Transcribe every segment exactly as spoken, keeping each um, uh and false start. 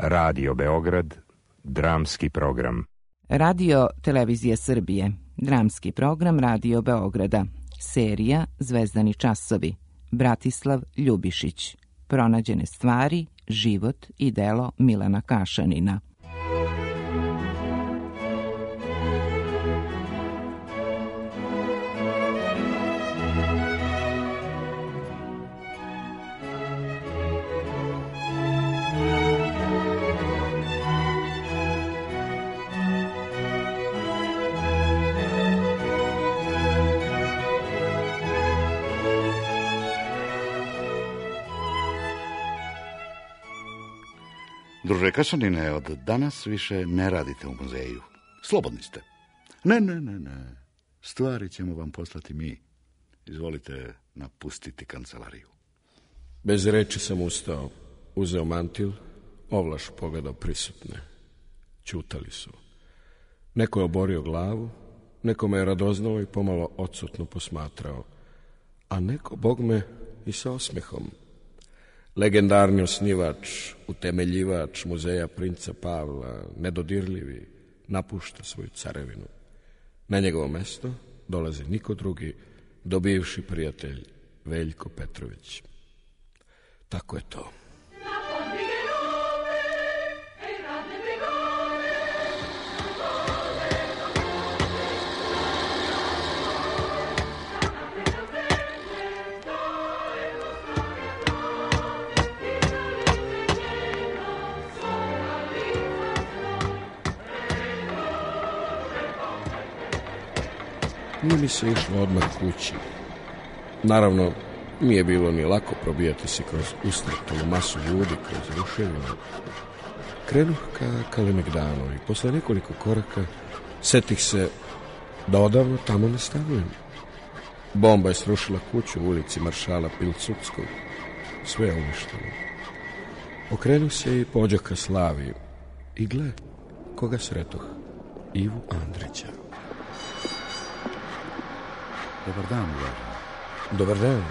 Radio Beograd, dramski program. Radio Televizije Srbije, dramski program Radio Beograda, serija Zvezdani časovi, Bratislav Ljubišić, pronađene stvari, život i delo Milana Kašanina. Druže Kašanine, od danas više ne radite u muzeju. Slobodni ste. Ne, ne, ne, ne. Stvari ćemo vam poslati mi. Izvolite napustiti kancelariju. Bez reči sam ustao, uzeo mantil, ovlaš pogledao prisutne. Ćutali su. Neko je oborio glavu, neko me je radoznao i pomalo odsutno posmatrao, a neko, bog me, i sa osmehom. Legendarni osnivač, utemeljivač muzeja princa Pavla, nedodirljivi, napušta svoju carevinu. Na njegovo mesto dolazi niko drugi do bivši prijatelj Veljko Petrović. Tako je to. Nije mi se išlo odmah kući. Naravno, nije bilo ni lako probijati se kroz ustrtanu masu ljudi, kroz ruševinu. Krenuh ka Kalemegdanu i posle nekoliko koraka setih se da odavno tamo ne stanujem. Bomba je srušila kuću u ulici maršala Pilsudskog. Sve je uništeno. Okrenuh se i pođoh ka Slavi. I gle, koga sretoh? Ivu Andrića. Dobar dan, uvažen. Dobar dan.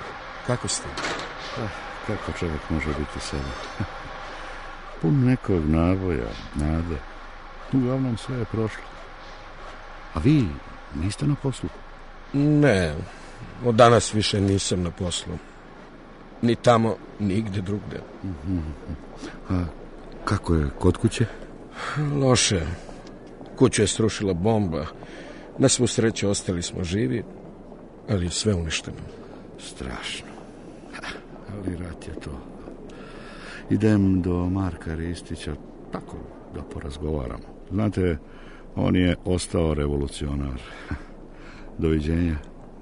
Kako ste? Ah, kako čovjek može biti sebe? Pun nekog naboja, nade. Uglavnom sve je prošlo. A vi niste na poslu? Ne, od danas više nisam na poslu. Ni tamo, nigde drugde. Mm-hmm. A kako je kod kuće? Loše. Kuću je srušila bomba. Na svu sreću ostali smo živi, ali je sve uništeno. Strašno. Ha, ali rat je to. Idem do Marka Ristića, tako da porazgovaramo. Znate, on je ostao revolucionar. Doviđenja.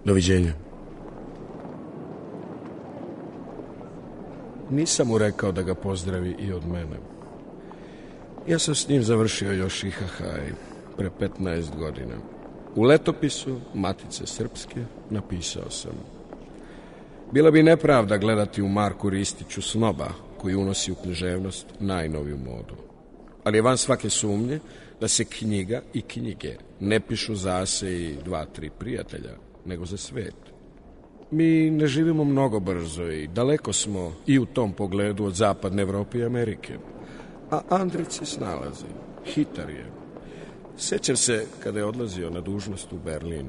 Doviđenja. Nisam mu rekao da ga pozdravi i od mene. Ja sam s njim završio još I H H pre petnaest godina. U letopisu Matice Srpske napisao sam: bila bi nepravda gledati u Marku Ristiću snoba koji unosi u književnost najnoviju modu. Ali je van svake sumnje da se knjiga i knjige ne pišu za se i dva, tri prijatelja, nego za svet. Mi ne živimo mnogo brzo i daleko smo i u tom pogledu od zapadne Evrope i Amerike. A Andrić se snalazi, hitar je. Sećam se kada je odlazio na dužnost u Berlin.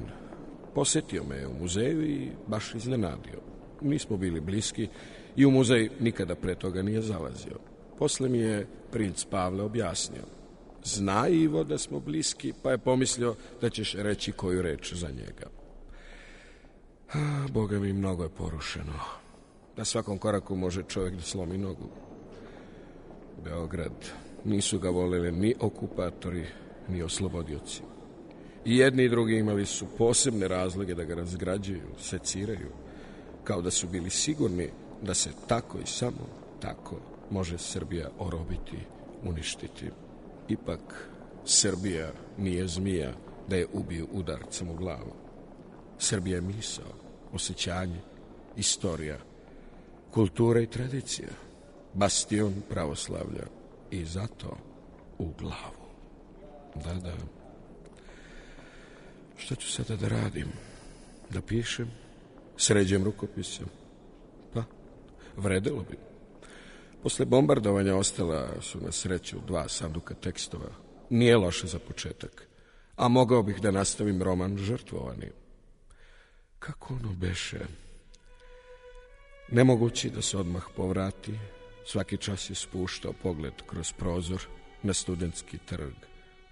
Posetio me u muzeju i baš iznenadio. Nismo bili bliski i u muzej nikada pre toga nije zalazio. Posle mi je princ Pavle objasnio: zna Ivo da smo bliski, pa je pomislio da ćeš reći koju reč za njega. A, Boga mi, mnogo je porušeno. Na svakom koraku može čovjek da slomi nogu. Beograd, nisu ga voleli ni okupatori, ni oslobodioci. I jedni i drugi imali su posebne razloge da ga razgrađuju, seciraju, kao da su bili sigurni da se tako i samo tako može Srbija orobiti, uništiti. Ipak, Srbija nije zmija da je ubiju udarcem u glavu. Srbija je misao, osjećanje, istorija, kultura i tradicija, bastion pravoslavlja i zato u glavu. Da, da. Šta ću sada da radim? Da pišem? Sređujem rukopise? Pa, vredelo bi. Posle bombardovanja ostala su na sreću dva sanduka tekstova. Nije loše za početak. A mogao bih da nastavim roman Žrtvovani. Kako ono beše? Nemogući da se odmah povrati, svaki čas je spuštao pogled kroz prozor na studentski trg,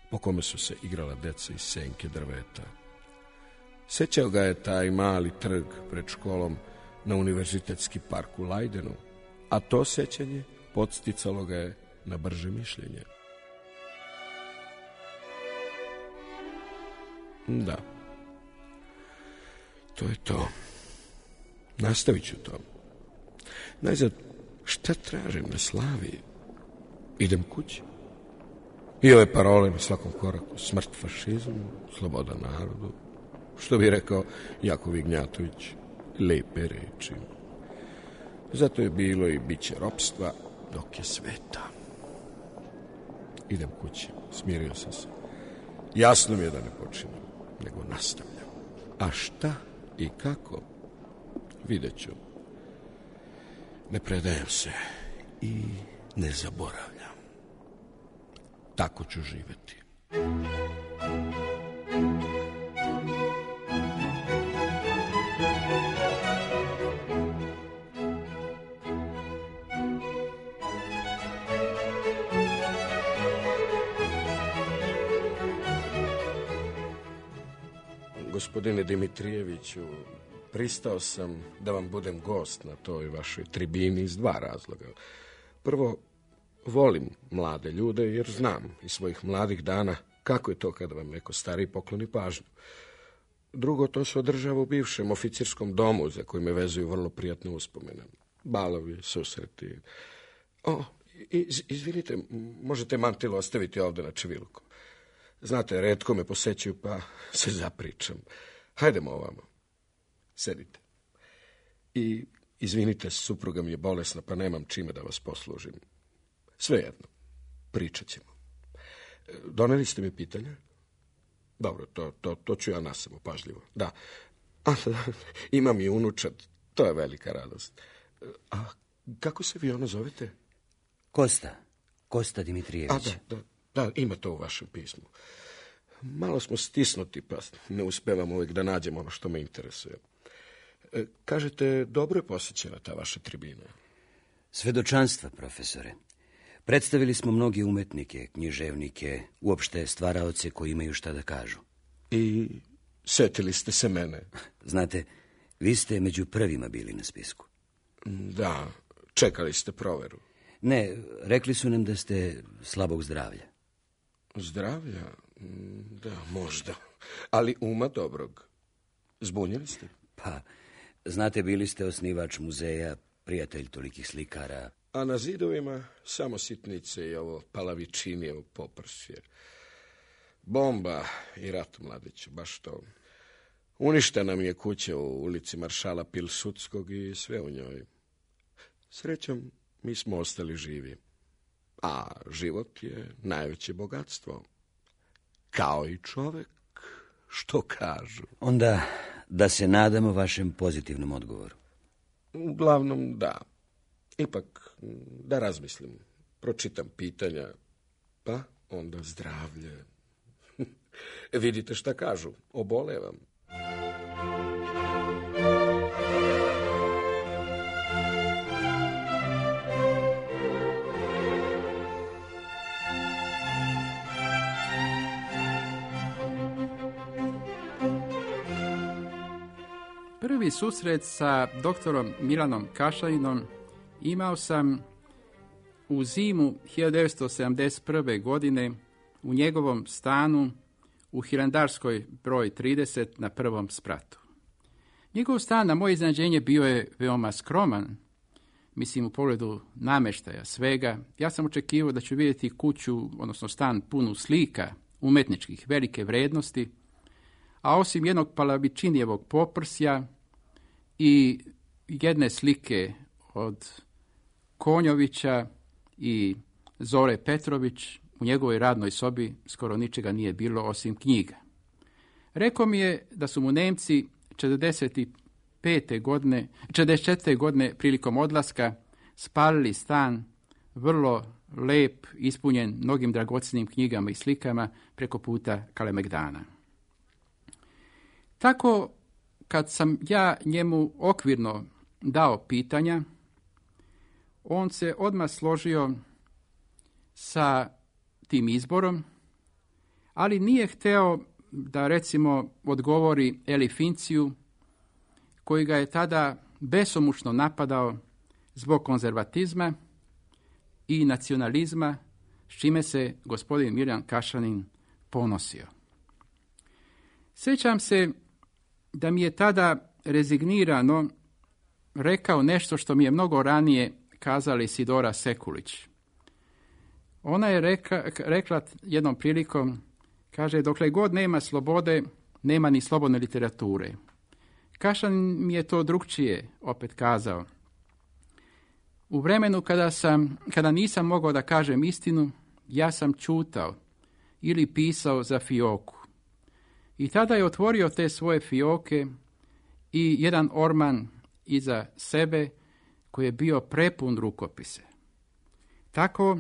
po kome su se igrala deca iz senke drveta. Sećao ga je taj mali trg pred školom na univerzitetski park u Lajdenu, a to sećanje podsticalo ga je na brže mišljenje. Da, to je to. Nastavit ću to. Najzad, šta tražim na Slaviji? Idem kući. I ove parole na svakom koraku. Smrt fašizmu, sloboda narodu. Što bi rekao Jakov Ignjatović, lepe reči. Zato je bilo i bit će ropstva dok je sveta. Idem kući, smirio sam se. Jasno mi je da ne počinjem, nego nastavljam. A šta i kako? Vidjet ću. Ne predajem se i ne zaboravljam. Tako ću živjeti. Gospodine Dimitrijeviću, pristao sam da vam budem gost na toj vašoj tribini iz dva razloga. Prvo, volim mlade ljude jer znam iz svojih mladih dana kako je to kada vam neko stariji pokloni pažnju. Drugo, to se održava u bivšem oficirskom domu za koji me vezuju vrlo prijatne uspomene. Balovi, susreti. O, iz, izvinite, možete mantilu ostaviti ovde na čeviluku. Znate, retko me posećuju, pa se zapričam. Hajdemo ovamo. Sedite. I, izvinite, supruga mi je bolesna, pa nemam čime da vas poslužim. Svejedno, pričat ćemo. Doneli ste mi pitanja? Dobro, to, to, to ću ja nasamo, pažljivo. Da. A, da, imam i unučad, to je velika radost. A kako se vi ono zovete? Kosta. Kosta Dimitrijević. A, da, da. Da, ima to u vašem pismu. Malo smo stisnuti, pa ne uspevam uvijek da nađemo ono što me interesuje. E, kažete, dobro je posjećena ta vaša tribina. Svedočanstva, profesore. Predstavili smo mnogi umetnike, književnike, uopšte stvaraoce koji imaju šta da kažu. I setili ste se mene. Znate, vi ste među prvima bili na spisku. Da, čekali ste proveru. Ne, rekli su nam da ste slabog zdravlja. Zdravlja? Da, možda. Ali uma dobrog. Zbunjeni ste? Pa, znate, bili ste osnivač muzeja, prijatelj tolikih slikara. A na zidovima samo sitnice i ovo palavičinijevo poprsje. Bomba i rat, mladiću, baš to. Uništena mi je kuća u ulici Maršala Pilsudskog i sve u njoj. Srećom, mi smo ostali živi. A život je najveće bogatstvo. Kao i čovek, što kažu. Onda da se nadamo vašem pozitivnom odgovoru. Uglavnom, da. Ipak, da razmislim. Pročitam pitanja, pa onda zdravlje. Vidite šta kažu, obolevam. Prvi susret sa doktorom Milanom Kašalinom imao sam u zimu hiljadu devetsto sedamdeset prve. godine u njegovom stanu u Hilandarskoj broj trideset na prvom spratu. Njegov stan, na moje iznenađenje, bio je veoma skroman, mislim u pogledu nameštaja svega. Ja sam očekivao da ću vidjeti kuću, odnosno stan punu slika umetničkih velike vrednosti, a osim jednog palavičinijevog poprsja i jedne slike od Konjovića i Zore Petrović, u njegovoj radnoj sobi skoro ničega nije bilo osim knjiga. Rekao mi je da su mu Nemci četrdeset pete. godine, četrdeset četvrte. godine prilikom odlaska spalili stan vrlo lep, ispunjen mnogim dragocjenim knjigama i slikama preko puta Kalemegdana. Tako, kad sam ja njemu okvirno dao pitanja, on se odmah složio sa tim izborom, ali nije hteo da, recimo, odgovori Eli Finciju, koji ga je tada besomučno napadao zbog konzervatizma i nacionalizma, s čime se gospodin Milan Kašanin ponosio. Sjećam se da mi je tada rezignirano rekao nešto što mi je mnogo ranije kazala Isidora Sekulić. Ona je rekla, rekla jednom prilikom, kaže, dokle god nema slobode, nema ni slobodne literature. Kašanin mi je to drugčije opet kazao. U vremenu kada, sam, kada nisam mogao da kažem istinu, ja sam čutao ili pisao za fioku. I tada je otvorio te svoje fioke i jedan orman iza sebe koji je bio prepun rukopise. Tako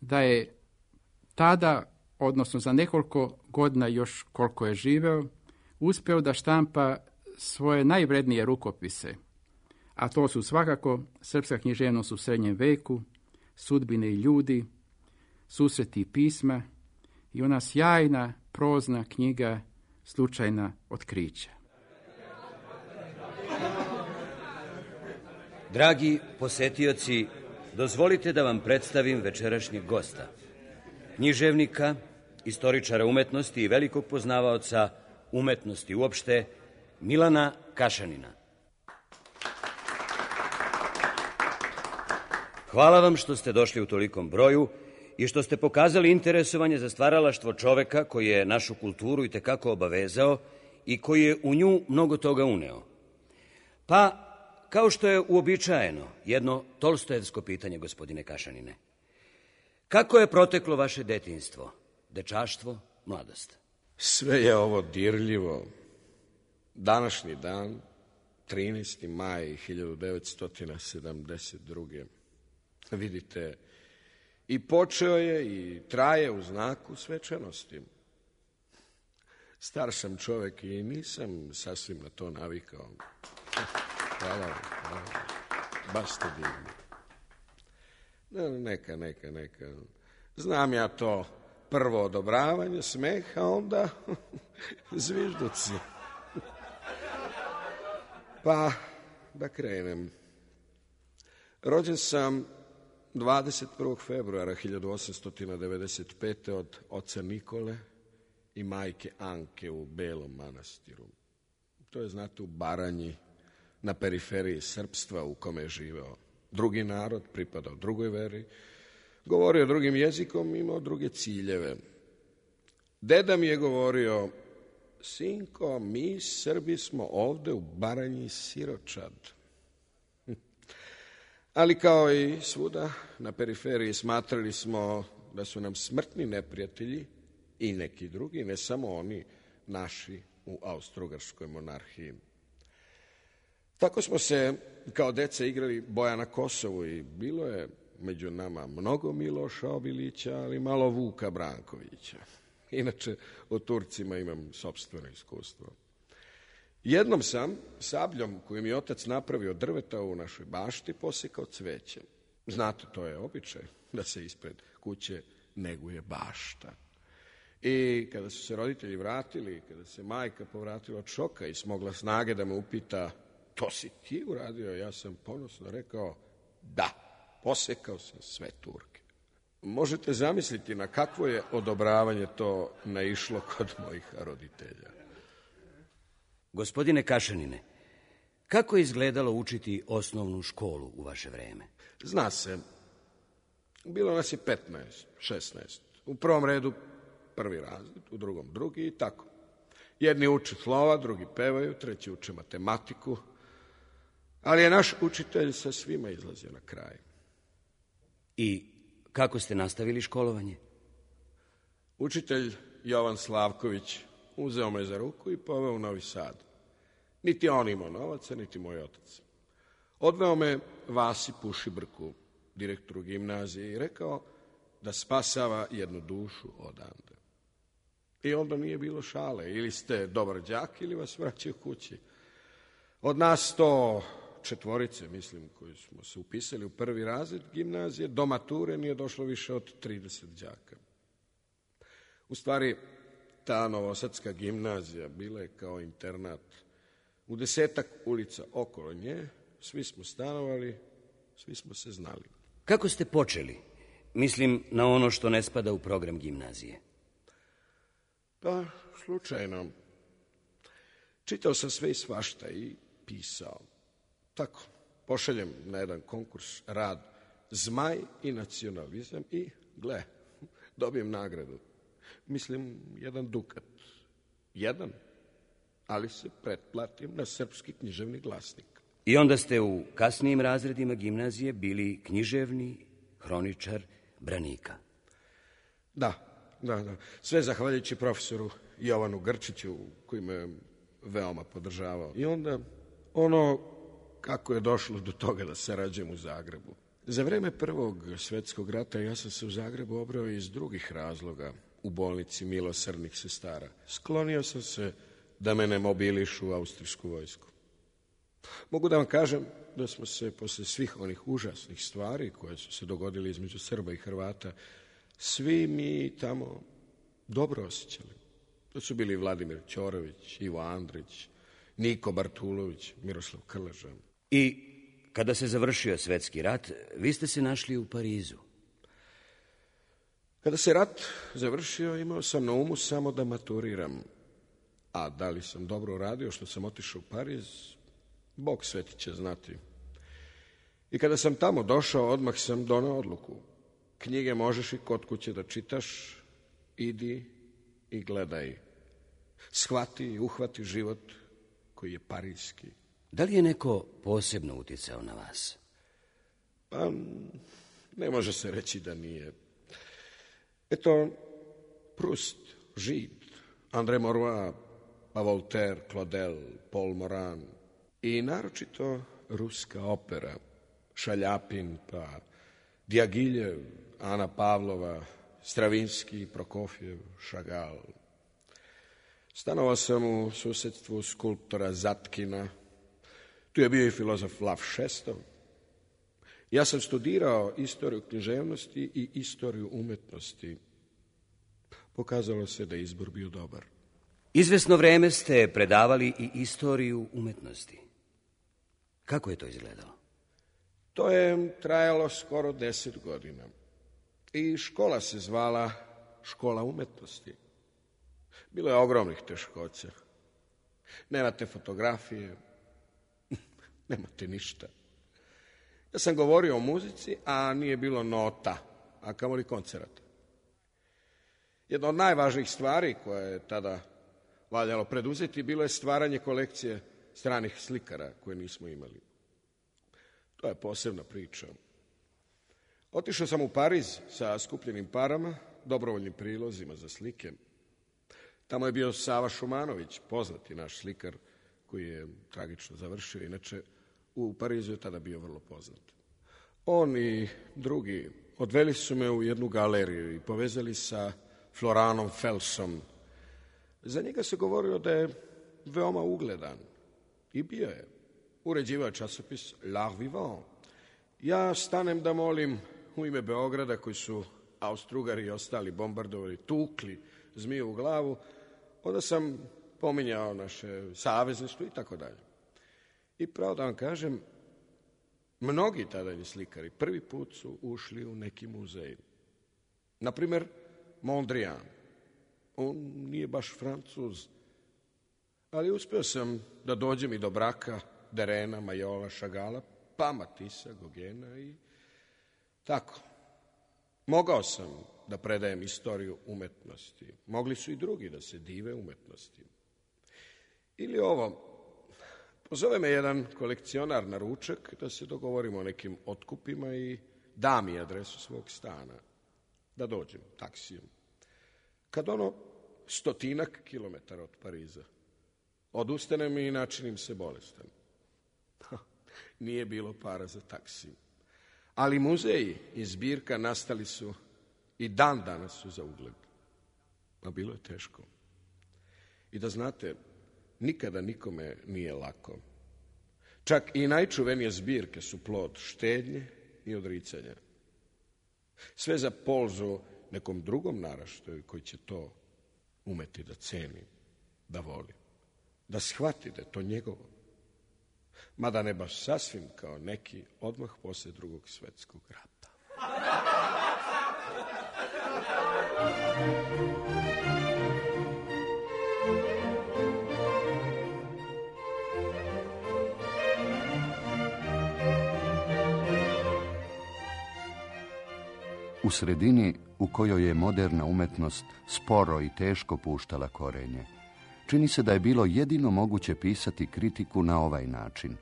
da je tada, odnosno za nekoliko godina još koliko je živeo, uspeo da štampa svoje najvrednije rukopise, a to su svakako Srpska književnost u srednjem veku, Sudbine i ljudi, Susreti i pisma i ona sjajna prozna knjiga Slučajna otkrića. Dragi posetioci, dozvolite da vam predstavim večerašnjeg gosta, književnika, istoričara umetnosti i velikog poznavaoca umetnosti uopšte, Milana Kašanina. Hvala vam što ste došli u tolikom broju i što ste pokazali interesovanje za stvaralaštvo čoveka koji je našu kulturu itekako obavezao i koji je u nju mnogo toga uneo. Pa, kao što je uobičajeno, jedno tolstojevsko pitanje, gospodine Kašanine. Kako je proteklo vaše detinjstvo, dečaštvo, mladost? Sve je ovo dirljivo. Današnji dan, trinaesti maj hiljadu devetsto sedamdeset druge. Vidite, i počeo je i traje u znaku svečanosti. Star sam čovek i nisam sasvim na to navikao. Hvala vam, hvala. Baš ste divni. Ne, neka, neka, neka. Znam ja to prvo odobravanje, smeh, a onda zvižduci. Pa, da krenem. Rođen sam dvadeset prvog februara hiljadu osamsto devedeset pete. od oca Nikole i majke Anke u Belom Manastiru. To je, znate, u Baranji, na periferiji srpstva u kome je živeo drugi narod, pripadao drugoj veri, govorio drugim jezikom, imao druge ciljeve. Deda mi je govorio, sinko, mi Srbi smo ovde u Baranji siročad. Ali kao i svuda na periferiji smatrali smo da su nam smrtni neprijatelji i neki drugi, ne samo oni naši u Austro-Ugarskoj monarhiji. Tako smo se kao deca igrali boja na Kosovu i bilo je među nama mnogo Miloša Obilića, ali malo Vuka Brankovića. Inače, o Turcima imam sopstveno iskustvo. Jednom sam sabljom koju mi je otac napravio od drveta u našoj bašti posekao cveće. Znate, to je običaj da se ispred kuće neguje bašta. I kada su se roditelji vratili, kada se majka povratila od šoka i smogla snage da me upita, to si ti uradio? Ja sam ponosno rekao, da, posekao sam sve Turke. Možete zamisliti na kakvo je odobravanje to naišlo kod mojih roditelja. Gospodine Kašanine, kako je izgledalo učiti osnovnu školu u vaše vreme? Zna se, bilo nas je petnaest, šesnaest. U prvom redu prvi razred, u drugom drugi i tako. Jedni uče slova, drugi pevaju, treći uče matematiku, ali je naš učitelj sa svima izlazio na kraj. I kako ste nastavili školovanje? Učitelj Jovan Slavković uzeo me za ruku i poveo u Novi Sad. Niti on imao novaca, niti moj otac. Odveo me Vasi Pušibrku, direktoru gimnazije i rekao da spasava jednu dušu odande. I onda nije bilo šale, ili ste dobar đak ili vas vraćaju kući. Od nas to četvorice, mislim, koji smo se upisali u prvi razred gimnazije, do mature nije došlo više od trideset đaka. U stvari, ta novosadska gimnazija bila je kao internat. U desetak ulica okolo nje, svi smo stanovali, svi smo se znali. Kako ste počeli? Mislim na ono što ne spada u program gimnazije. Pa, slučajno. Čitao sam sve i svašta i pisao. Tako, pošaljem na jedan konkurs rad Zmaj i nacionalizam i, gle, dobijem nagradu. Mislim, jedan dukat. Jedan, ali se pretplatim na Srpski književni glasnik. I onda ste u kasnijim razredima gimnazije bili književni hroničar branika. Da, da, da. Sve zahvaljujući profesoru Jovanu Grčiću, koji me veoma podržavao. I onda ono kako je došlo do toga da sarađujem u Zagrebu. Za vreme Prvog svetskog rata ja sam se u Zagrebu obrao iz drugih razloga u bolnici milosrdnih sestara. Sklonio sam se da me ne mobilišu u austrijsku vojsku. Mogu da vam kažem da smo se posle svih onih užasnih stvari koje su se dogodile između Srba i Hrvata, svi mi tamo dobro osjećali. To su bili Vladimir Ćorović, Ivo Andrić, Niko Bartulović, Miroslav Krleža. I kada se završio svetski rat, vi ste se našli u Parizu. Kada se rat završio, imao sam na umu samo da maturiram. A da li sam dobro uradio što sam otišao u Pariz, Bog sveti će znati. I kada sam tamo došao, odmah sam donao odluku. Knjige možeš i kod kuće da čitaš, idi i gledaj. Shvati i uhvati život koji je parijski. Da li je neko posebno uticao na vas? Pa, ne može se reći da nije. Eto, Proust, Žid, André Maurois, pa Voltaire, Claudel, Paul Moran i naročito ruska opera, Šaljapin, pa Diagiljev, Ana Pavlova, Stravinski, Prokofjev, Šagal. Stanovao sam u susedstvu skulptora Zatkina. Tu je bio i filozof Lav Šestov. Ja sam studirao istoriju književnosti i istoriju umetnosti. Pokazalo se da je izbor bio dobar. Izvesno vreme ste predavali i istoriju umetnosti. Kako je to izgledalo? To je trajalo skoro deset godina. I škola se zvala Škola umetnosti. Bilo je ogromnih teškoća. Nemate fotografije, nemate ništa. Ja sam govorio o muzici, a nije bilo nota, a kamoli koncerata. Jedna od najvažnijih stvari koje je tada valjalo preduzeti bilo je stvaranje kolekcije stranih slikara koje nismo imali. To je posebna priča. Otišao sam u Pariz sa skupljenim parama, dobrovoljnim prilozima za slike. Tamo je bio Sava Šumanović, poznati naš slikar koji je tragično završio. Inače, u Parizu je tada bio vrlo poznat. On i drugi odveli su me u jednu galeriju i povezali sa Floranom Felsom. Za njega se govorilo da je veoma ugledan. I bio je. Uređivao je časopis L'Art Vivant. Ja stanem da molim u ime Beograda, koji su Austro-Ugari i ostali bombardovali, tukli zmiju u glavu, onda sam pominjao naše savezništvo i tako dalje. I pravo da vam kažem, mnogi tadajni slikari prvi put su ušli u neki muzej. Naprimer, Mondrian. On nije baš Francuz, ali uspeo sam da dođem i do Braka, Derena, Majola, Šagala, pa Matisa, Gogena i tako. Mogao sam da predajem istoriju umetnosti. Mogli su i drugi da se dive umetnosti. Ili ovo, pozove me jedan kolekcionar na ručak da se dogovorimo o nekim otkupima i da mi adresu svog stana, da dođem taksijom. Kad ono stotinak kilometara od Pariza, odustanem i načinim se bolestan. Nije bilo para za taksi. Ali muzeji i zbirka nastali su i dan danas su za ugled. A bilo je teško. I da znate, nikada nikome nije lako. Čak i najčuvenije zbirke su plod štednje i odricanja. Sve za polzu nekom drugom naraštaju koji će to umeti da ceni, da voli, da shvati da je to njegovo. Mada ne baš sasvim kao neki odmah posle drugog svetskog rata. U sredini u kojoj je moderna umetnost sporo i teško puštala korenje, čini se da je bilo jedino moguće pisati kritiku na ovaj način.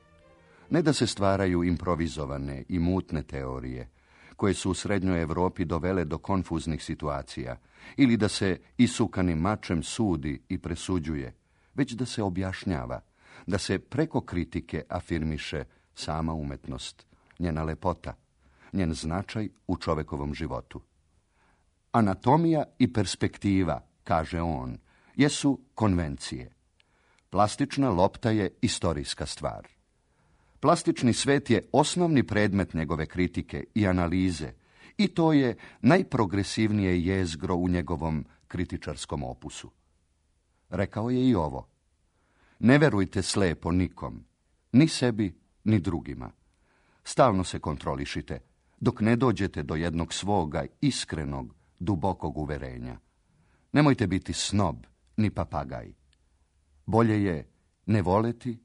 Ne da se stvaraju improvizovane i mutne teorije, koje su u Srednjoj Evropi dovele do konfuznih situacija, ili da se isukanim mačem sudi i presuđuje, već da se objašnjava, da se preko kritike afirmiše sama umetnost, njena lepota, njen značaj u čovekovom životu. Anatomija i perspektiva, kaže on, jesu konvencije. Plastična lopta je istorijska stvar. Plastični svet je osnovni predmet njegove kritike i analize i to je najprogresivnije jezgro u njegovom kritičarskom opusu. Rekao je i ovo: ne verujte slepo nikom, ni sebi, ni drugima. Stalno se kontrolišite, dok ne dođete do jednog svoga iskrenog, dubokog uverenja. Nemojte biti snob, ni papagaj. Bolje je ne voleti,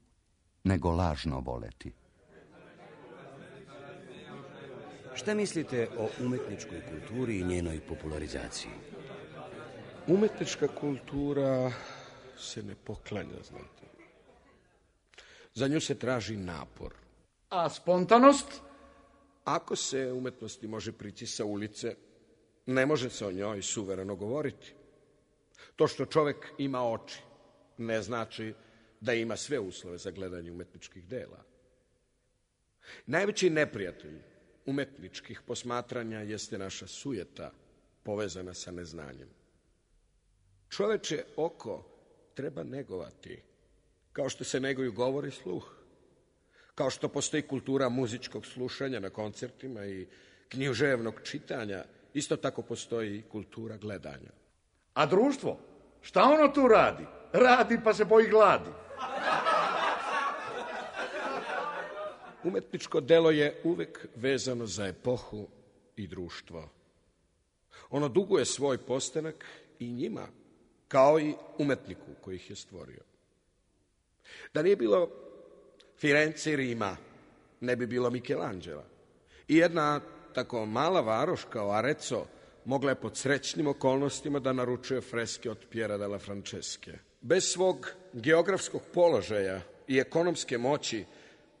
nego lažno voleti. Šta mislite o umetničkoj kulturi i njenoj popularizaciji? Umetnička kultura se ne poklanja, znate. Za nju se traži napor. A spontanost? Ako se umetnosti može prići sa ulice, ne može se o njoj suvereno govoriti. To što čovek ima oči ne znači da ima sve uslove za gledanje umetničkih dela. Najveći neprijatelj umetničkih posmatranja jeste naša sujeta povezana sa neznanjem. Čoveče oko treba negovati, kao što se neguju govor i sluh, kao što postoji kultura muzičkog slušanja na koncertima i književnog čitanja, isto tako postoji i kultura gledanja. A društvo? Šta ono tu radi? Radi pa se boji gladi. Umetničko delo je uvek vezano za epohu i društvo. Ono duguje svoj postanak i njima, kao i umetniku koji ih je stvorio. Da nije bilo Firence i Rima, ne bi bilo Michelangela. I jedna tako mala varoš kao Arezzo mogla je pod srećnim okolnostima da naručuje freske od Piera della Francesche. Bez svog geografskog položaja i ekonomske moći,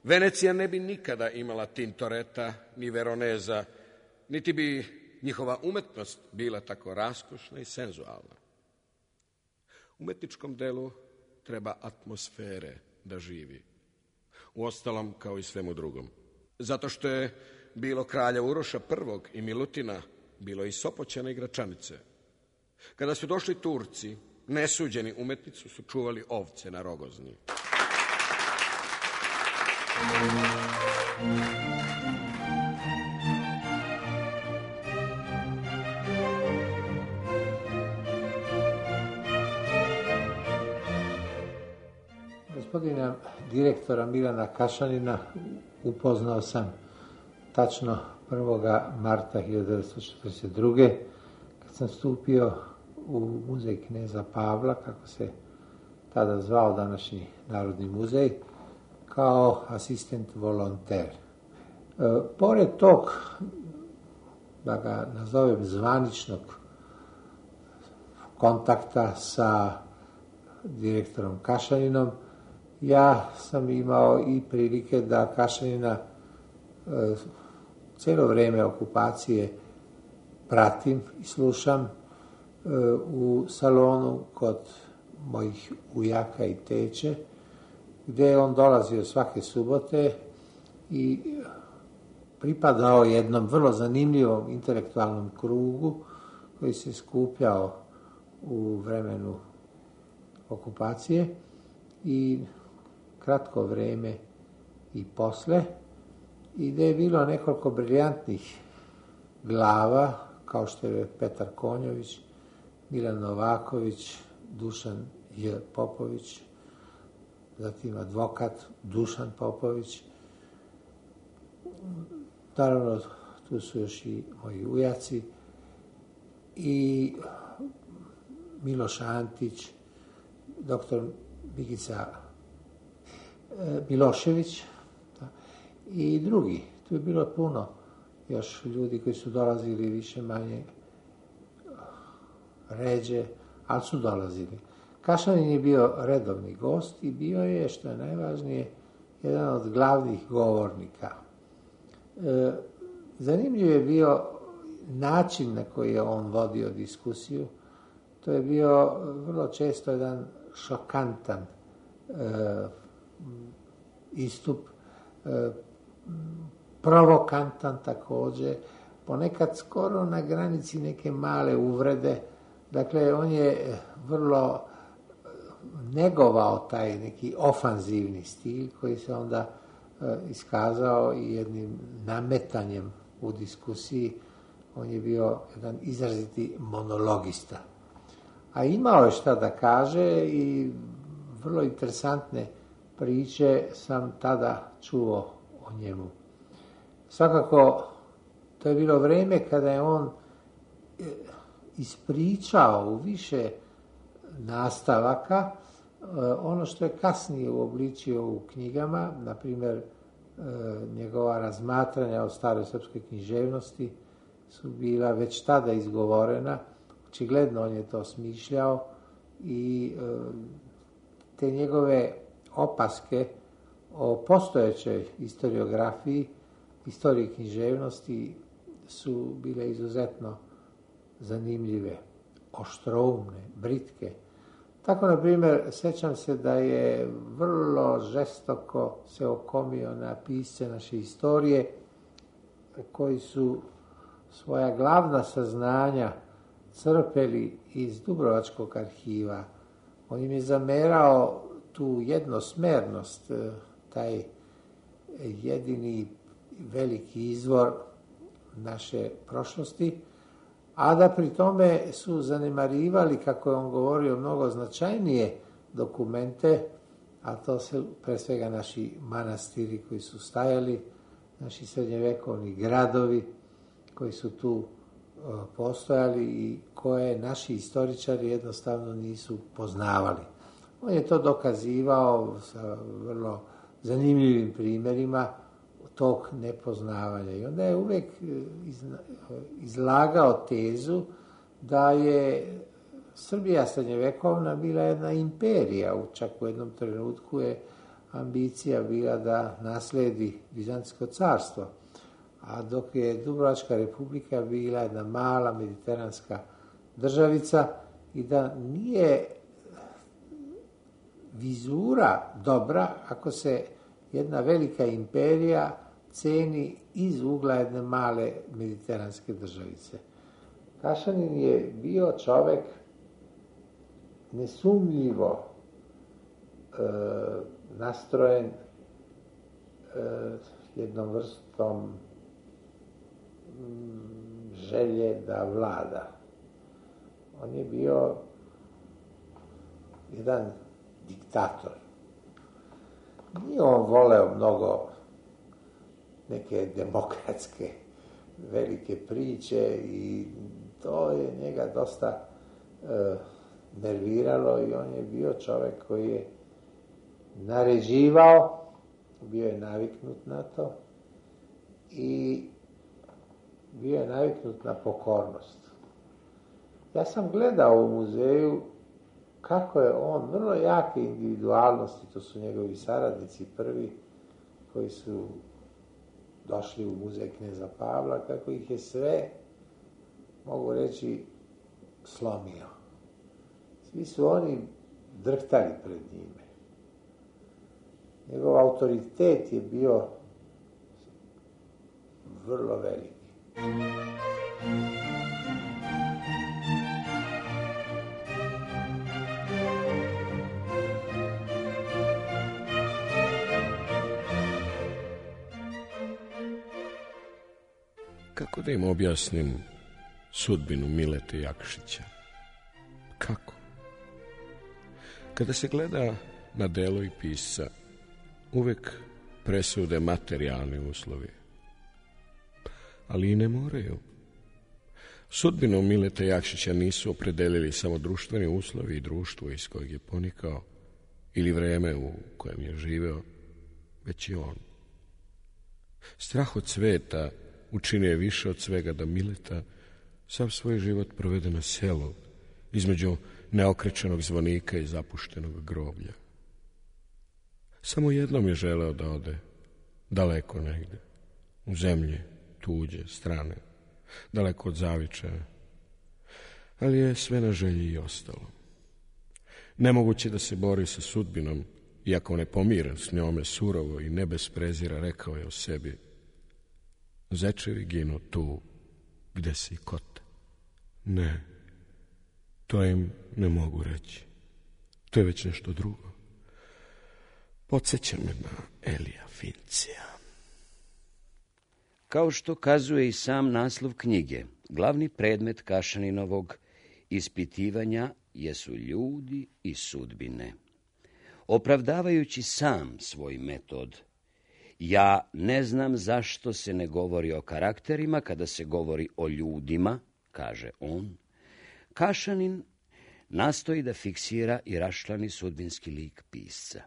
Venecija ne bi nikada imala Tintoreta ni Veroneza, niti bi njihova umetnost bila tako raskošna i senzualna. Umetničkom delu treba atmosfere da živi. Uostalom, kao i svemu drugom. Zato što je bilo kralja Uroša prvog i Milutina, bilo i Sopoćana i Gračanice. Kada su došli Turci, nesuđeni umetnicu su čuvali ovce na Rogozni. Gospodina direktora Milana Kašanina upoznao sam tačno prvog marta hiljadu devetsto četrdeset druge. kad sam stupio u muzej kneza Pavla, kako se tada zvao današnji Narodni muzej, kao asistent volonter. E, pored tog, da ga nazovem zvaničnog kontakta sa direktorom Kašaninom, ja sam imao i prilike da Kašanina e, cijelo vrijeme okupacije pratim i slušam e, u salonu kod mojih ujaka i teče, gdje je on dolazio svake subote i pripadao jednom vrlo zanimljivom intelektualnom krugu koji se skupljao u vremenu okupacije i kratko vrijeme i posle, i gdje je bilo nekoliko briljantnih glava, kao što je Petar Konjović, Milan Novaković, Dušan J. Popović, zatim advokat Dušan Popović. Naravno, tu su još i moji ujaci i Miloš Antić, doktor Mikica Milošević i drugi. Tu je bilo puno još ljudi koji su dolazili više manje ređe, ali su dolazili. Kašanin je bio redovni gost i bio je, što je najvažnije, jedan od glavnih govornika. E, zanimljiv je bio način na koji je on vodio diskusiju. To je bio vrlo često jedan šokantan e, istup, e, provokantan također, ponekad skoro na granici neke male uvrede. Dakle, on je vrlo negovao taj neki ofanzivni stil koji se onda e, iskazao i jednim nametanjem u diskusiji. On je bio jedan izraziti monologista. A imao je šta da kaže i vrlo interesantne priče sam tada čuo o njemu. Svakako, to je bilo vrijeme kada je on ispričao u više nastavaka ono što je kasnije uobličio u knjigama, na primjer njegova razmatranja o staroj srpskoj književnosti su bila već tada izgovorena. Očigledno on je to smišljao i te njegove opaske o postojećoj historiografiji, istoriji književnosti su bile izuzetno zanimljive, oštroumne, britke. Tako, na primjer, sjećam se da je vrlo žestoko se okomio na pisce naše istorije koji su svoja glavna saznanja crpeli iz Dubrovačkog arhiva. On im je zamerao tu jednosmernost, taj jedini veliki izvor naše prošlosti, a da pri tome su zanemarivali, kako je on govorio, mnogo značajnije dokumente, a to su pre svega naši manastiri koji su stajali, naši srednjevekovni gradovi koji su tu postojali i koje naši istoričari jednostavno nisu poznavali. On je to dokazivao sa vrlo zanimljivim primjerima tog nepoznavanja. I onda je uvijek izlagao tezu da je Srbija srednjevekovna bila jedna imperija. Čak u jednom trenutku je ambicija bila da nasledi Bizantsko carstvo. A dok je Dubrovačka republika bila jedna mala mediteranska državica i da nije vizura dobra ako se jedna velika imperija ceni iz ugla jedne male mediteranske državice. Kašanin je bio čovjek nesumnjivo e, nastrojen e, jednom vrstom želje da vlada. On je bio jedan diktator. Nije on voleo mnogo neke demokratske velike priče i to je njega dosta e, nerviralo i on je bio čovjek koji je naređivao, bio je naviknut na to i bio je naviknut na pokornost. Ja sam gledao u muzeju kako je on vrlo jake individualnosti, to su njegovi saradnici prvi koji su došli u muzej kneza Pavla, kako ih je sve, mogu reći, slomio. Svi su oni drhtali pred njime. Njegov autoritet je bio vrlo veliki. Kako da im objasnim sudbinu Milete Jakšića? Kako? Kada se gleda na delo i pisca, uvek presude materijalni uslovi. Ali i ne moraju. Sudbinu Milete Jakšića nisu opredelili samo društveni uslovi i društvo iz kojeg je ponikao ili vreme u kojem je živeo, već i on. Strah od sveta učinio je više od svega da Mileta sav svoj život provede na selu, između neokrečenog zvonika i zapuštenog groblja. Samo jednom je želeo da ode daleko negde, u zemlje tuđe, strane, daleko od zavičaja, ali je sve na želji i ostalo. Nemoguće da se bori sa sudbinom, iako nepomíren s njome, surovo i ne bez prezira rekao je o sebi: zečevi ginu tu gde si kote. Ne, to im ne mogu reći. To je već nešto drugo. Podsjeća me na Elija Fincija. Kao što kazuje i sam naslov knjige, glavni predmet Kašaninovog ispitivanja jesu ljudi i sudbine. Opravdavajući sam svoj metod, ja ne znam zašto se ne govori o karakterima kada se govori o ljudima, kaže on, Kašanin nastoji da fiksira i raščlani sudbinski lik pisca.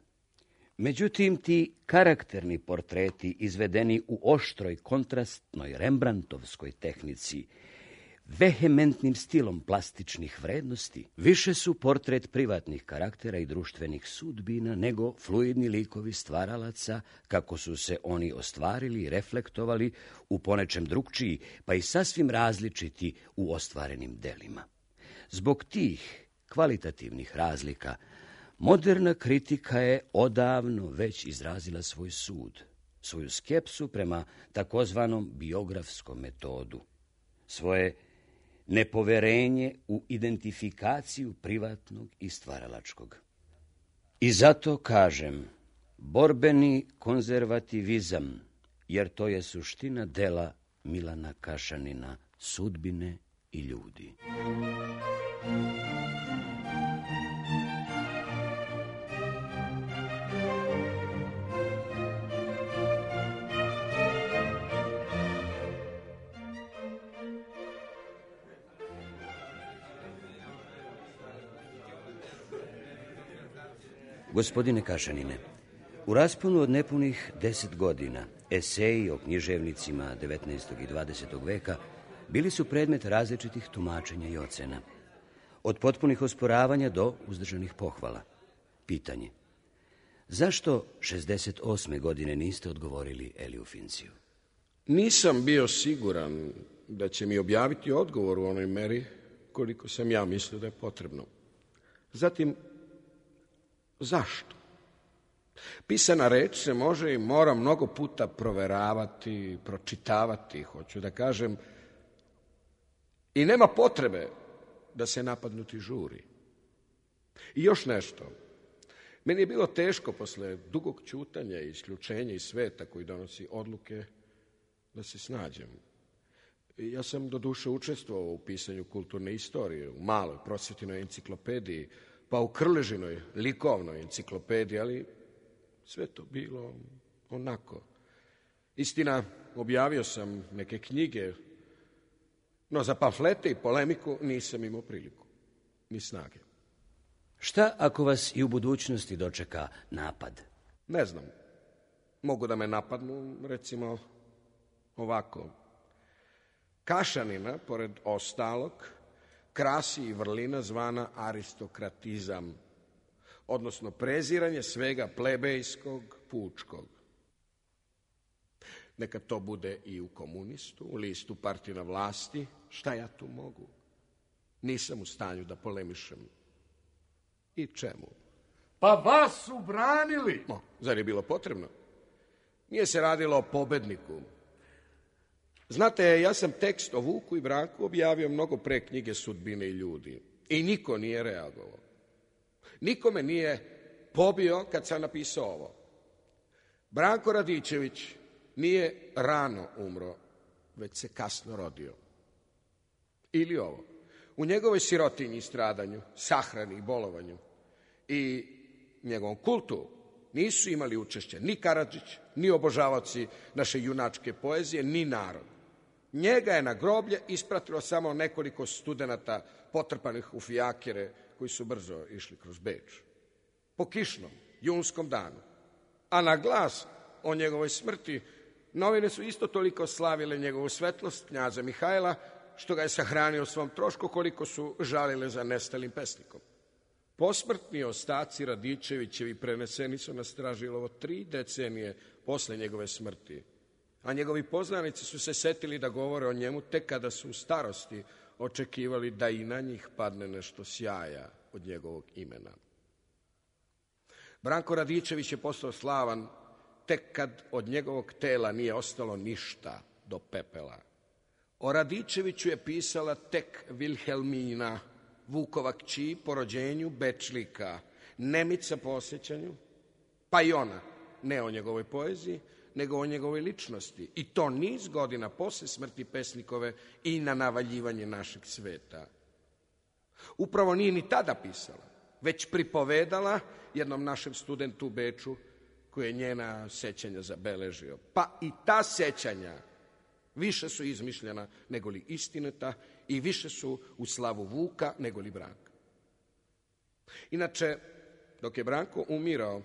Međutim, ti karakterni portreti izvedeni u oštroj, kontrastnoj, rembrandtovskoj tehnici, vehementnim stilom plastičnih vrednosti, više su portret privatnih karaktera i društvenih sudbina nego fluidni likovi stvaralaca, kako su se oni ostvarili i reflektovali u ponečem drugčiji, pa i sasvim različiti u ostvarenim delima. Zbog tih kvalitativnih razlika, moderna kritika je odavno već izrazila svoj sud, svoju skepsu prema takozvanom biografskom metodu, svoje nepoverenje u identifikaciju privatnog i stvaralačkog. I zato kažem, borbeni konzervativizam, jer to je suština dela Milana Kašanina, sudbine i ljudi. Gospodine Kašanine, u rasponu od nepunih deset godina eseji o književnicima devetnaestog i dvadesetog veka bili su predmet različitih tumačenja i ocena. Od potpunih osporavanja do uzdržanih pohvala. Pitanje: zašto šezdeset osme godine niste odgovorili Eliju Finciju? Nisam bio siguran da će mi objaviti odgovor u onoj meri koliko sam ja mislio da je potrebno. Zatim, zašto? Pisana reč se može i mora mnogo puta proveravati, pročitavati, hoću da kažem, i nema potrebe da se napadnuti žuri. I još nešto. Meni je bilo teško posle dugog ćutanja i isključenja iz sveta koji donosi odluke da se snađem. Ja sam do duše učestvovao u pisanju kulturne istorije, u maloj prosvetinoj enciklopediji, pa u Krležinoj likovnoj enciklopediji, ali sve to bilo onako. Istina, objavio sam neke knjige, no za pamflete i polemiku nisam imao priliku, ni snage. Šta ako vas i u budućnosti dočeka napad? Ne znam. Mogu da me napadnu, recimo, ovako. Kašanina, pored ostalog, krasi i vrlina zvana aristokratizam, odnosno preziranje svega plebejskog, pučkog. Neka to bude i u komunistu, u listu partije na vlasti, šta ja tu mogu? Nisam u stanju da polemišem. I čemu? Pa vas su branili. O, zar je bilo potrebno? Nije se radilo o pobedniku. Znate, ja sam tekst o Vuku i Branku objavio mnogo pre knjige Sudbine i ljudi. I niko nije reagovao. Niko me nije pobio kad sam napisao ovo. Branko Radičević nije rano umro, već se kasno rodio. Ili ovo. U njegovoj sirotinji i stradanju, sahrani i bolovanju i njegovom kultu nisu imali učešće ni Karadžić, ni obožavaoci naše junačke poezije, ni narod. Njega je na groblje ispratilo samo nekoliko studenata potrpanih u fijakere koji su brzo išli kroz Beč. Po kišnom, junskom danu. A na glas o njegovoj smrti novine su isto toliko slavile njegovu svetlost, knjaza Mihajla, što ga je sahranio svom trošku, koliko su žalile za nestalim pesnikom. Posmrtni ostaci Radičevićevi preneseni su na Stražilovo tri decenije posle njegove smrti, a njegovi poznanici su se setili da govore o njemu tek kada su u starosti očekivali da i na njih padne nešto sjaja od njegovog imena. Branko Radičević je postao slavan tek kad od njegovog tela nije ostalo ništa do pepela. O Radičeviću je pisala tek Vilhelmina, Vukova kći po rođenju Bečlika, Nemica po osjećanju, pa i ona, ne o njegovoj poeziji, nego o njegovoj ličnosti. I to niz godina posle smrti pesnikove i na navaljivanje našeg sveta. Upravo nije ni tada pisala, već pripovedala jednom našem studentu u Beču, koji je njena sećanja zabeležio. Pa i ta sećanja više su izmišljena nego li istinita i više su u slavu Vuka nego li Branka. Inače, dok je Branko umirao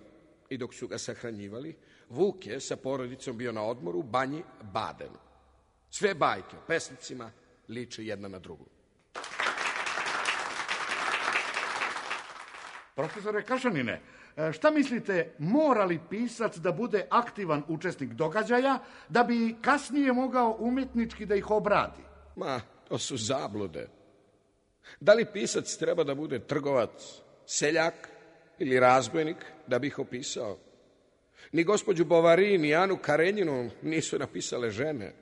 i dok su ga sahranjivali, Vuk je sa porodicom bio na odmoru u banji Badenu. Sve bajke o pesnicima liče jedna na drugu. Profesore Kašanine, šta mislite, mora li pisac da bude aktivan učesnik događaja da bi kasnije mogao umjetnički da ih obradi? Ma, to su zablude. Da li pisac treba da bude trgovac, seljak ili razbojnik da bi ih opisao? Ni gospođu Bovary, ni Anu Karenjinu nisu napisale žene.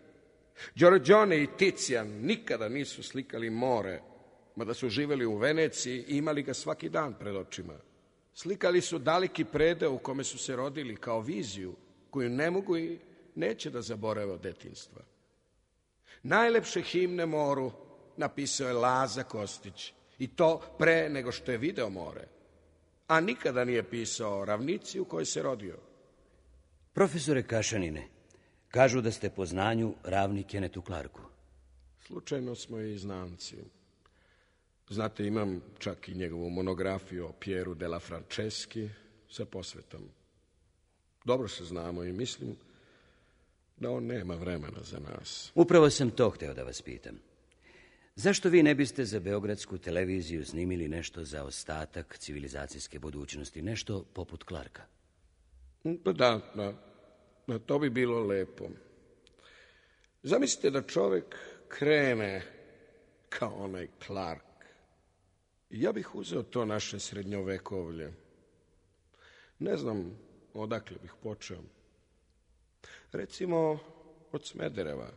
Giorgione i Ticijan nikada nisu slikali more, mada su živjeli u Veneciji i imali ga svaki dan pred očima. Slikali su daleki predeo u kome su se rodili kao viziju koju ne mogu i neće da zaborave od detinjstva. Najlepše himne moru napisao je Laza Kostić i to pre nego što je video more, a nikada nije pisao ravnici u kojoj se rodio. Profesore Kašanine, kažu da ste po znanju ravni Kenetu Clarku. Slučajno smo i znanci. Znate, imam čak i njegovu monografiju o Pieru della Franceschi sa posvetom. Dobro se znamo i mislim da on nema vremena za nas. Upravo sam to hteo da vas pitam. Zašto vi ne biste za beogradsku televiziju snimili nešto za ostatak civilizacijske budućnosti, nešto poput Clarka? Pa da, da, da, to bi bilo lepo. Zamislite da čovek krene kao onaj Clark. Ja bih uzeo to naše srednjovekovlje. Ne znam odakle bih počeo. Recimo od Smedereva,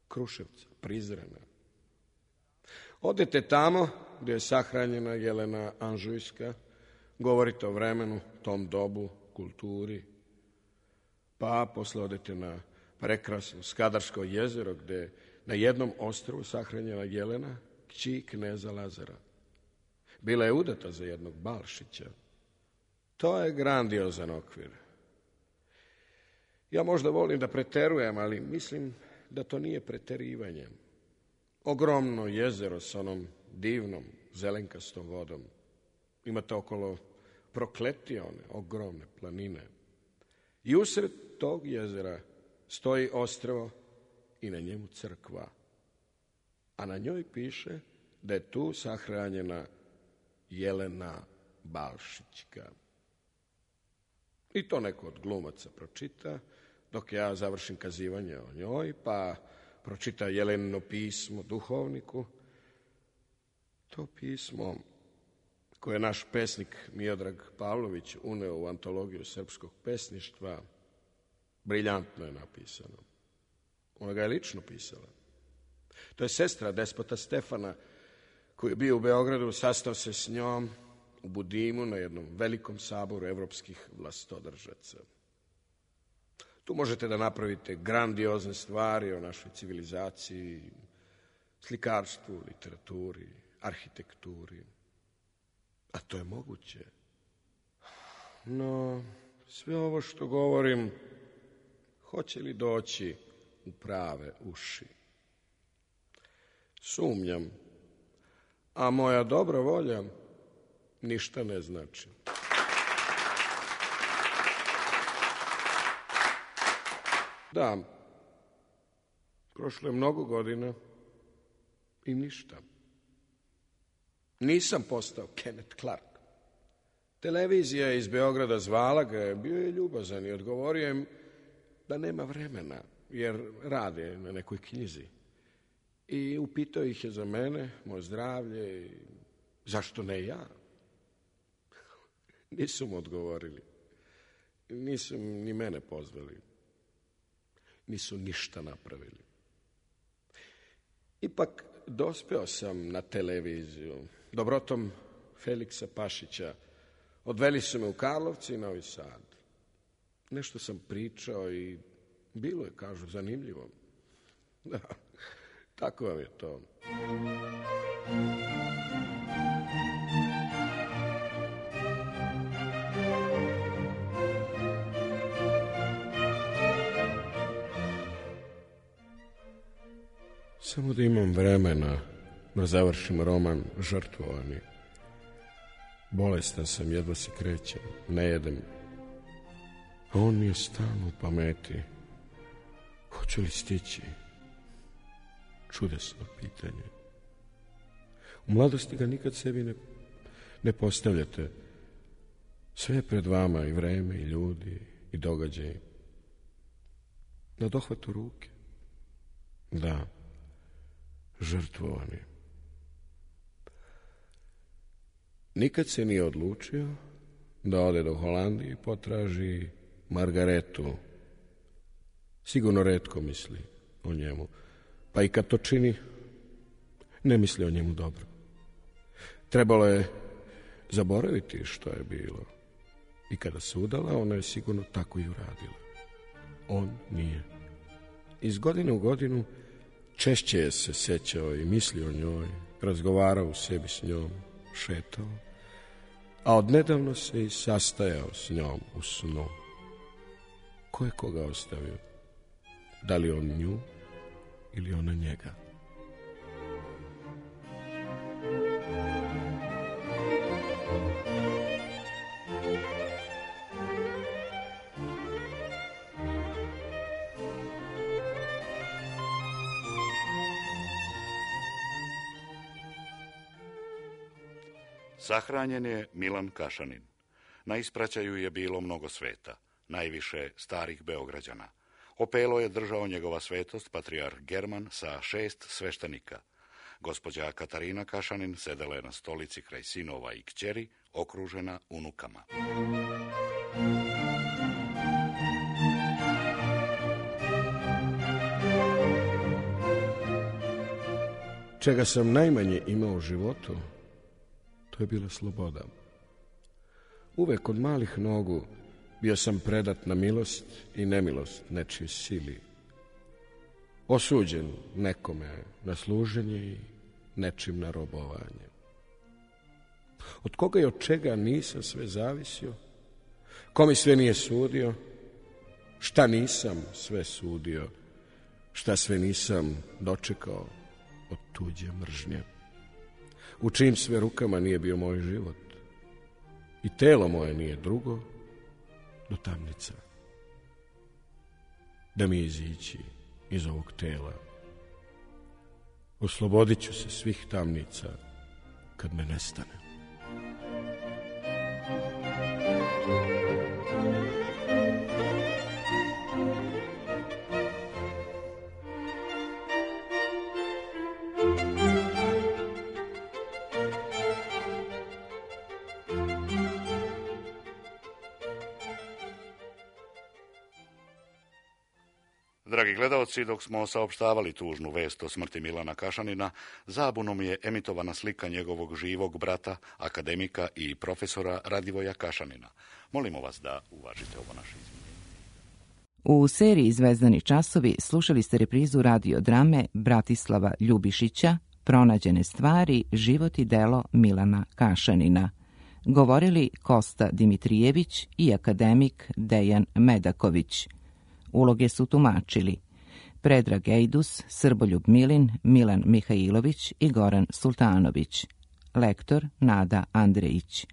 Kruševca, Prizrena. Odete tamo gdje je sahranjena Jelena Anžujska, govorite o vremenu, tom dobu, kulturi, pa posle odete na prekrasno Skadarsko jezero gdje na jednom ostrvu sahranjena Jelena, kći kneza Lazara. Bila je udata za jednog Balšića. To je grandiozan okvir. Ja možda volim da preterujem, ali mislim da to nije preterivanje. Ogromno jezero s onom divnom zelenkastom vodom. Imate okolo Prokletione, ogromne planine. I usred tog jezera stoji ostrvo i na njemu crkva. A na njoj piše da je tu sahranjena Jelena Balšićka. I to neko od glumaca pročita, dok ja završim kazivanje o njoj, pa pročita Jelenino pismo duhovniku. To pismo koje je naš pesnik Miodrag Pavlović uneo u antologiju srpskog pesništva, briljantno je napisano. Ona ga je lično pisala. To je sestra despota Stefana, koji je bio u Beogradu, sastao se s njom u Budimu na jednom velikom saboru evropskih vlastodržaca. Tu možete da napravite grandiozne stvari o našoj civilizaciji, slikarstvu, literaturi, arhitekturi. A to je moguće. No, sve ovo što govorim, hoće li doći u prave uši? Sumnjam, a moja dobra volja ništa ne znači. Da, prošlo je mnogo godina i ništa. Nisam postao Kenneth Clark. Televizija iz Beograda zvala ga, bio je ljubazan i odgovorio im da nema vremena, jer rade na nekoj knjizi. I upitao ih je za mene, moje zdravlje i zašto ne ja? Nisu mu odgovorili. Nisu ni mene pozvali. Nisu ništa napravili. Ipak dospeo sam na televiziju. Dobrotom Feliksa Pašića. Odveli su me u Karlovci i Novi Sad. Nešto sam pričao i bilo je, kažu, zanimljivo. Da, tako vam je to. Samo da imam vremena da završim roman Žrtvovani. Bolestan sam, jedva se krećem, ne jedem. A on mi je stalno u pameti. Hoću li stići? Čudesno pitanje. U mladosti ga nikad sebi ne, ne postavljate. Sve je pred vama, i vreme, i ljudi, i događaji. Na dohvatu ruke. Da, žrtvovani. Nikad se nije odlučio da ode do Holandije i potraži Margaretu. Sigurno retko misli o njemu. Pa i kad to čini, ne misli o njemu dobro. Trebalo je zaboraviti što je bilo. I kada se udala, ona je sigurno tako i uradila. On nije. Iz godine u godinu češće je se sećao i mislio o njoj, razgovarao u sebi s njom, šetao, a odnedavno se i sastajao s njom u snu. Ko je koga ostavio? Da li on nju ili ona njega? Sahranjen je Milan Kašanin. Na ispraćaju je bilo mnogo sveta, najviše starih Beograđana. Opelo je držao njegova svetost patrijarh German sa šest sveštenika. Gospođa Katarina Kašanin sedela je na stolici kraj sinova i kćeri, okružena unukama. Čega sam najmanje imao u životu, to je bila sloboda. Uvek od malih nogu bio sam predat na milost i nemilost nečije sili. Osuđen nekome na služenje i nečim na robovanje. Od koga i od čega nisam sve zavisio, ko mi sve nije sudio, šta nisam sve sudio, šta sve nisam dočekao od tuđe mržnje. U čijim sve rukama nije bio moj život. I telo moje nije drugo do tamnica. Da mi izići iz ovog tela. Oslobodit ću se svih tamnica kad me nestane. Dragi gledaoci, dok smo saopštavali tužnu vest o smrti Milana Kašanina, zabunom je emitovana slika njegovog živog brata, akademika i profesora Radivoja Kašanina. Molimo vas da uvažite ovo naše izmjenje. U seriji Zvezdani časovi slušali ste reprizu radiodrame Bratislava Ljubišića Pronađene stvari, život i delo Milana Kašanina. Govorili Kosta Dimitrijević i akademik Dejan Medaković. Uloge su tumačili Predrag Ejdus, Srboljub Milin, Milan Mihajlović i Goran Sultanović. Lektor Nada Andrejić.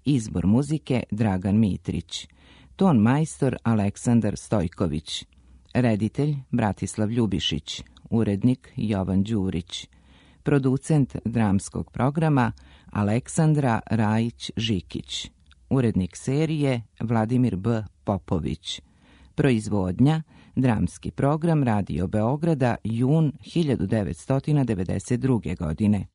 Izbor muzike Dragan Mitrić. Ton majstor Aleksandar Stojković. Reditelj Bratislav Ljubišić. Urednik Jovan Đurić. Producent dramskog programa Aleksandra Rajić-Žikić. Urednik serije Vladimir B. Popović. Proizvodnja Dramski program Radio Beograda, jun hiljadu devetsto devedeset druge. godine.